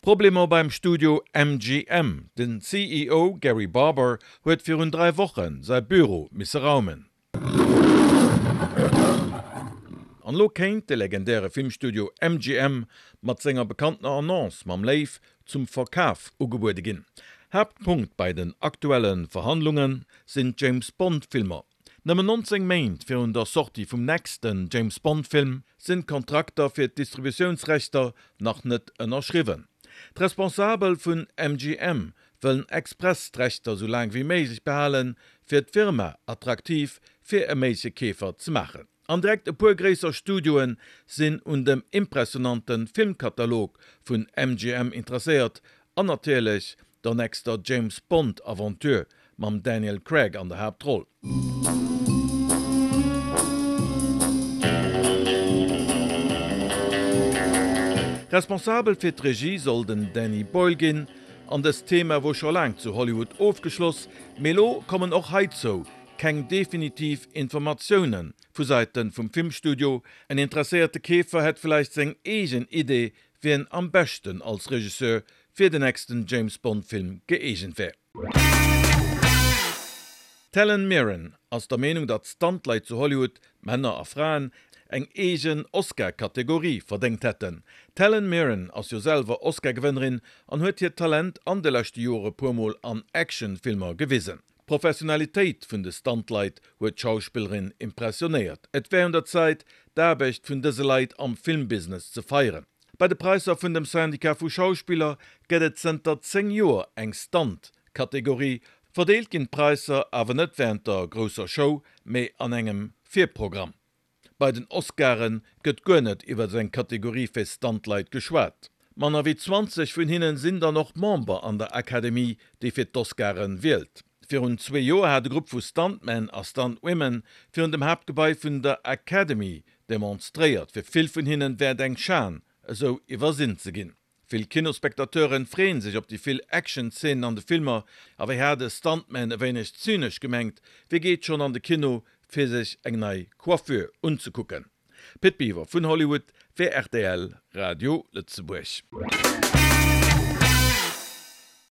Problemer beim Studio MGM, Den CEO Gary Barber huet virun 3 Woche säi Büro misse raumen. An elo kéint de legendäre Filmstudio MGM mat senger bekanntener Annonce mam Léiw zum Verkaf ugebuede ginn. Haaptpunkt bei den aktuelle Verhandlunge sinn d'James Bond Filmer. Nëmmen 19 Méint virun der Sortie vum nächsten James Bond Film sinn d'Kontrakter fir d'Distributiounsrechter nach net ënnerschriwwen. D'Responsabel vun MGM wëllen express d'Rechter sou laang wéi méiglech behalen, fir d'Firma attraktiv fir e méigleche Keefer ze maachen. An direkt e puer gréisser Studioe sinn un dem impressionante Filmkatalog vun MGM interesséiert an natierlech der nächster James Bond Aventure mam Daniel Craig an der Haaptroll. Responsabel fir d'Regie soll den Danny Boyle ginn an dëst Thema wor scho laang zu Hollywood ofgeschloss, mee elo kommen och heizou keng definitiv Informatioune vu Säite vum Filmstudio. En interesséierte Keefer hätt vläicht seng eegen Idee, wien am beschten als Regisseur fir den nächsten James Bond Film gëeegent wär. D'Helen Mirren ass der Meenung, datt Stuntleit zu Hollywood, Männer a Fraen, eng eegen Oscar-Kategorie verdéngt hätten. D'Helen Mirren ass jo selwer Oscar-Gewënnerin an huet hiert Talent an de leschte Jore puer Mol an Action-Filmer gewisen. D'Professionalitéit vun de Stuntleit huet d'Schauspillerin impressionéiert. Et wär un der Zäit, d'Aarbecht vun dëse Leit am Filmbusiness ze feieren. Bei de Präisser vun dem Syndicat vu Schauspiller gëtt et zënter 10 Joer eng Stunt-Kategorie. Verdeelt ginn d'Präisser awer net wärend der grousser Show, mee an engem Virprogramm. Bei den Oscaren gëtt guer net iwwer eng Kategorie fir Stuntleit geschwat. Manner wéi 20 vun hinnen sinn dann och Member an der Academy, déi fir d'Oscaren wielt. Virun zwee Joer hat e Grupp vu Stuntmen a Stuntwomen virun dem Haaptgebai vun der Academy demonstréiert. Fir vill vun hinnen wär et eng Schan, esou iwwersinn ze ginn. Vill Kinospectateuren freeën sech op déi vill Action-Szenen an de Filmer, a wéi hat e Stuntman e wéineg zynesch gemengt, wie geet schonn an de Kino fir sech eng nei Coiffure unzekucken? Pit Biwer vun Hollywood fir rtl Radio Lëtzebuerg.